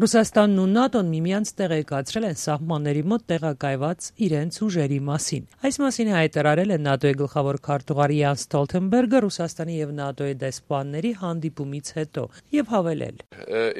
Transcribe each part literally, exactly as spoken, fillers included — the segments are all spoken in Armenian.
Ռուսաստանն ու ՆԱՏՕ-ն միմյանց տեղեկացրել են սահմանների մոտ տեղակայված իրենց ուժերի մասին։ Այս մասին հայտարարել է ՆԱՏՕ-ի գլխավոր քարտուղար Յանս Ստոլթենբերգը Ռուսաստանի եւ ՆԱՏՕ-ի դեսպանների հանդիպումից հետո եւ հավելել.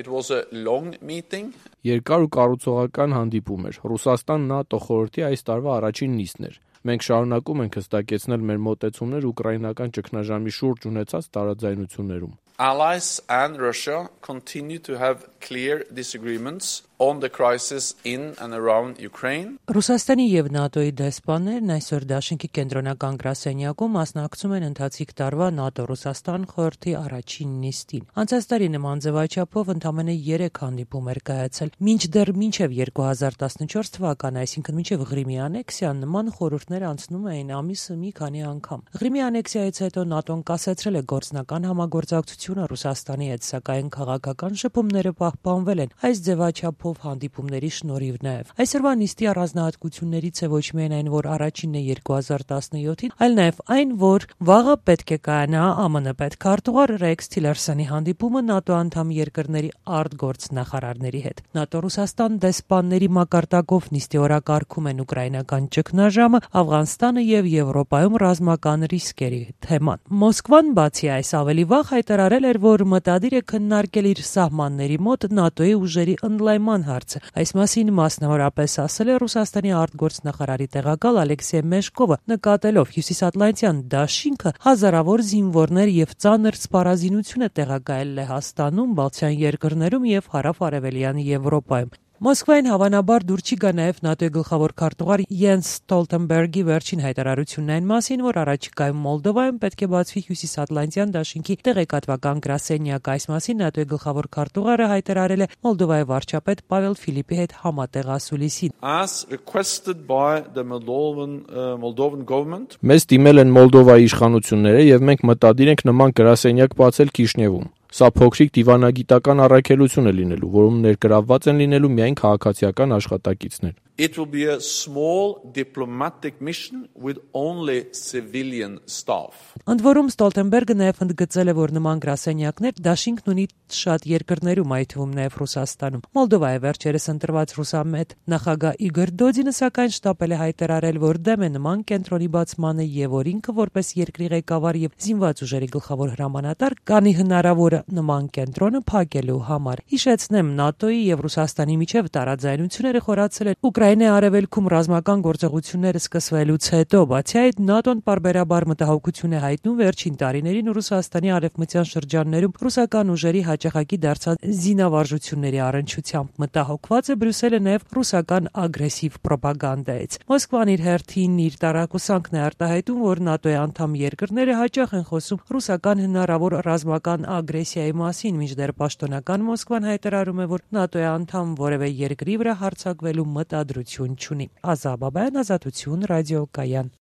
It was a long meeting. Երկար ու կառուցողական հանդիպում էր։ Ռուսաստան-ՆԱՏՕ խորհրդի այս տարվա առաջին նիստն էր։ Մենք շարունակում ենք հստակեցնել մեր մոտեցումներ ուկրաինական ճգնաժամի շուրջ ունեցած տարաձայնություններում։ Allies and Russia continue to have clear disagreements on the crisis in and around Ukraine. Ռուսաստանի եւ ՆԱՏՕ-ի դեսպաններն այսօր Դաշնքի կենտրոնական գրասենյակում մասնակցում են ընթացիկ տարվա ՆԱՏՕ-Ռուսաստան խորհրդի առաջին նիստին։ Անցած տարի նման ձևաչափով ընդամենը երեք հանդիպում էր կայացել։ Մինչդեռ մինչև երկու հազար տասնչորս թվականը, այսինքն մինչև Ղրիմի անեքսիան, նման խորհուրդներ անցնում էին ամիսը մի քանի անգամ։ Ղրիմի անեքսիայից հետո ՆԱՏՕ-ն կասեցրել է գործնական համագործակցությունը Ռուսաստանի հետ, սակայն քաղաքական շփումները պահպանվել են այս ձևաչափով հանդիպումների շնորհիվ նաև։ Այսօրվա նիստի առանձնահատկություններից է ոչ միայն այն, որ առաջինն է երկու հազար տասնյոթին, այլ նաև այն, որ վաղը պետք է կայանա ԱՄՆ պետքարտուղար Ռեքս Թիլերսոնի հանդիպումը ՆԱՏՕ անդամ երկրների արտգործնախարարների հետ։ ՆԱՏՕ-Ռուսաստան դեսպանների մակարդակով նիստի օրակարգում են ուկրաինական ճգնաժամը, Աֆղանստանը եւ Եվրոպայում ռազմական ռիսկերի թեման։ Մոսկվան բացի այս ավելի վաղ հայտարարել էր, որ մտադիր է քննարկել իր սահմանների մոտ ՆԱՏՕ-ի ուժերի ընդլայնման հարցը։ Այս մասին մասնավորապես ասել է Ռուսաստանի արտգործնախարարի տեղակալ Ալեքսեյ Մեշկովը, նկատելով հյուսիսատլանտյան դաշինքը հազարավոր զինվորներ եւ ծանր սպառազինություն է տեղակայել Լեհաստանում, Բալթյան երկրներում եւ հարավ-արևելյան Եվրոպայում։ Մոսկվային հավանաբար դուր չի գա նաև ՆԱՏՕ-ի գլխավոր քարտուղար Յանս Ստոլթենբերգի վերջին հայտարարությունն այն մասին, որ առաջիկայում Մոլդովայում պետք է բացվի հյուսիսատլանտյան դաշինքի տեղեկատվական գրասենյակ։ Այս մասին ՆԱՏՕ-ի գլխավոր քարտուղարը հայտարարել է Մոլդովայի վարչապետ Պավել Ֆիլիպի հետ համատեղ ասուլիսին։ As requested by the Moldovan uh, Moldovan government. Մեզ դիմել են Մոլդովայի իշխանությունները եւ մենք մտադիր ենք նման գրասենյակ բացել Քիշնևում։ Սա փոքրիկ դիվանագիտական առաքելություն է լինելու, որում ներգրավված են լինելու միայն քաղաքացիական աշխատակիցներ։ It will be a small diplomatic mission with only civilian staff. Ընդ որում Ստոլթենբերգը նաև ընդգծել է, որ նման գրասենյակներ դաշինքն ունի շատ երկրներում, այդ թվում նաև Ռուսաստանում։ Մոլդովայի վերջերս ընտրված ռուսամետ նախագահ Իգոր Դոդինը սակայն շտապել է հայտարարել, որ դեմ է նման կենտրոնի բացմանը եւ որ ինքը որպես երկրի ղեկավար եւ զինված ուժերի գլխավոր հրամանատար կանի հնարավորը նման կենտրոնը փակելու համար։ Հիշեցնեմ, ՆԱՏՕ-ի եւ Ռուսաստանի միջև տարաձայնությունները խորացել են Ուկրաինայի արևելքում ռազմական գործողությունները սկսվելուց հետո, բացի այդ ՆԱՏՕ-ն պարբերաբար մտահոգություն է հայտնում վերջին տարիներին Ռուսաստանի արևմտյան շրջաններում ռուսական ուժերի հաճախակի դարձած զինավարժությունների առնչությամբ։ Մտահոգված է Բրյուսելը նաև ռուսական ագրեսիվ պրոպագանդայից։ Մոսկվան իր հերթին իր տարակուսանքն է արտահայտում, որ ՆԱՏՕ-ի անդամ երկրները հաճախ են խոսում ռուսական հնարավոր ռազմական ագրեսիայի մասին, մինչդեռ պաշտոնական Մոսկվան հայտարարում է, որ ՆԱՏՕ-ի անդամ որևէ երկրի վրա հարձակվելու մտադրություն չունի։ Ազա Բաբայան, Ազատություն, ռադիոկայան։